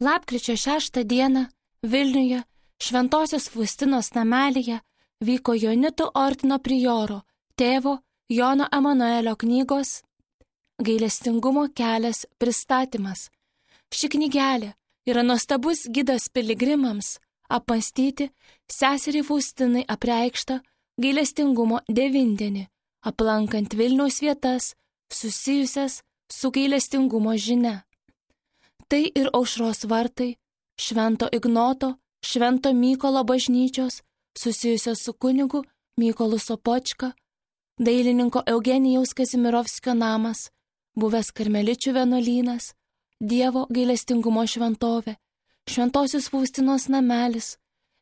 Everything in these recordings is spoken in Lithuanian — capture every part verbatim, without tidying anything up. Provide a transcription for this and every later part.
Lapkričio šeštą dieną Vilniuje Šventosios Faustinos namelyje vyko Jonitų ordino prioro tėvo Jono Emanuelio knygos Gailestingumo kelias pristatymas. Ši knygelė yra nuostabus gidas piligrimams apmąstyti seserį Faustinai apreikštą gailestingumo devindienį, aplankant Vilniaus vietas susijusias su gailestingumo žinia. Tai ir Aušros vartai, Švento Ignoto, Švento Mykolo bažnyčios, susijusios su kunigu Mykolu Sopočka, dailininko Eugenijaus Kazimirovskio namas, buvęs karmeličių vienuolynas, Dievo gailestingumo šventovė, Šventosios Faustinos namelis,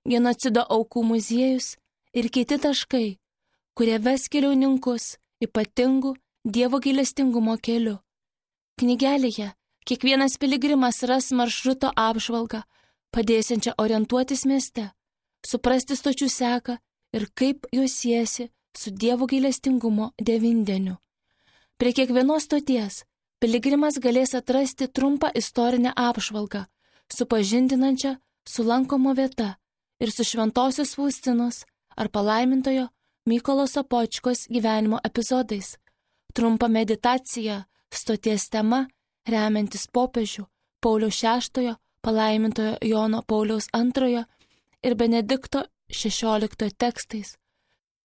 genocido aukų muziejus ir kiti taškai, kurie ves keliauninkus ypatingų Dievo gailestingumo keliu. Knygelėje kiekvienas piligrimas ras maršruto apžvalgą, padėsiančią orientuotis mieste, suprasti stočių seką ir kaip juos siesi su Dievo gailestingumo devindieniu. Prie kiekvienos stoties piligrimas galės atrasti trumpą istorinę apžvalgą, supažindinančią su lankoma vieta ir su Šventosios Faustinos ar palaimintojo Mykolo Sopočkos gyvenimo epizodais, trumpą meditaciją stoties tema remiantis popiežių Pauliaus šeštojo, palaimintojo Jono Pauliaus antrojo ir Benedikto šešioliktojo tekstais,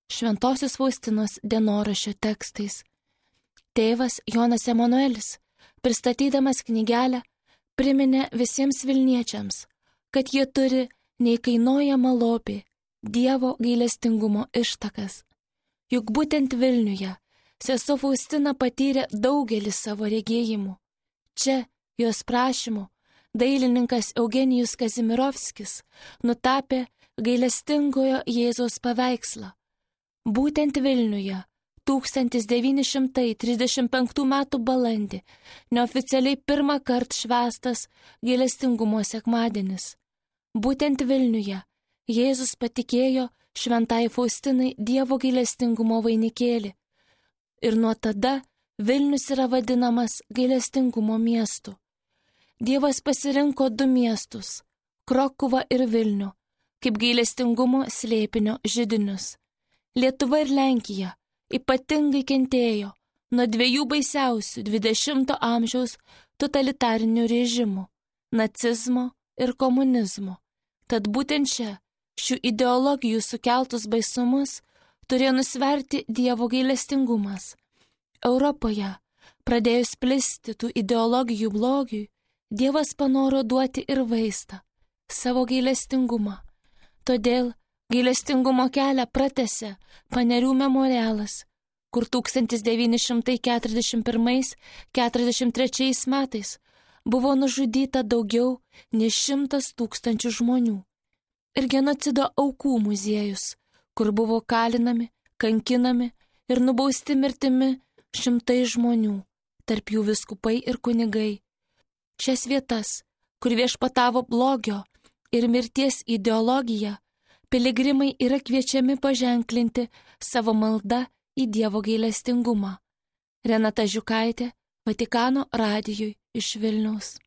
Šventosios Faustinos dienoraščio tekstais. Tėvas Jonas Emanuelis, pristatydamas knygelę, priminė visiems vilniečiams, kad jie turi neįkainojamą lobį Dievo gailestingumo ištakas. Juk būtent Vilniuje sesuo Faustina patyrė daugelį savo regėjimų. Čia, jos prašymu, dailininkas Eugenijus Kazimirovskis nutapė gailestingojo Jėzaus paveikslą. Būtent Vilniuje tūkstantis devyni šimtai trisdešimt penktų metų balandį neoficialiai pirmą kartą švęstas gailestingumo sekmadienis. Būtent Vilniuje Jėzus patikėjo šventai Faustinai Dievo gailestingumo vainikėlį ir nuo tada Vilnius yra vadinamas gailestingumo miestu. Dievas pasirinko du miestus – Krokuvą ir Vilnių – kaip gailestingumo slėpinio židinius. Lietuva ir Lenkija ypatingai kentėjo nuo dviejų baisiausių dvidešimto amžiaus totalitarinių režimų – nacizmo ir komunizmo. Tad būtent čia šių ideologijų sukeltus baisumus turėjo nusverti Dievo gailestingumas. Europoje, pradėjus plisti tų ideologijų blogiui, Dievas panoro duoti ir vaistą – savo gailestingumą. Todėl gailestingumo kelią pratęsė Panerių memorialas, kur tūkstantis devyni šimtai keturiasdešimt pirmais - keturiasdešimt trečiais metais buvo nužudyta daugiau nei šimtas tūkstančių žmonių. Ir genocido aukų muziejus, kur buvo kalinami, kankinami ir nubausti mirtimi šimtai žmonių, tarp jų vyskupai ir kunigai. Šias vietas, kur viešpatavo blogio ir mirties ideologija, piligrimai yra kviečiami paženklinti savo maldą į Dievo gailestingumą. Renata Žiukaitė, Vatikano radijui iš Vilniaus.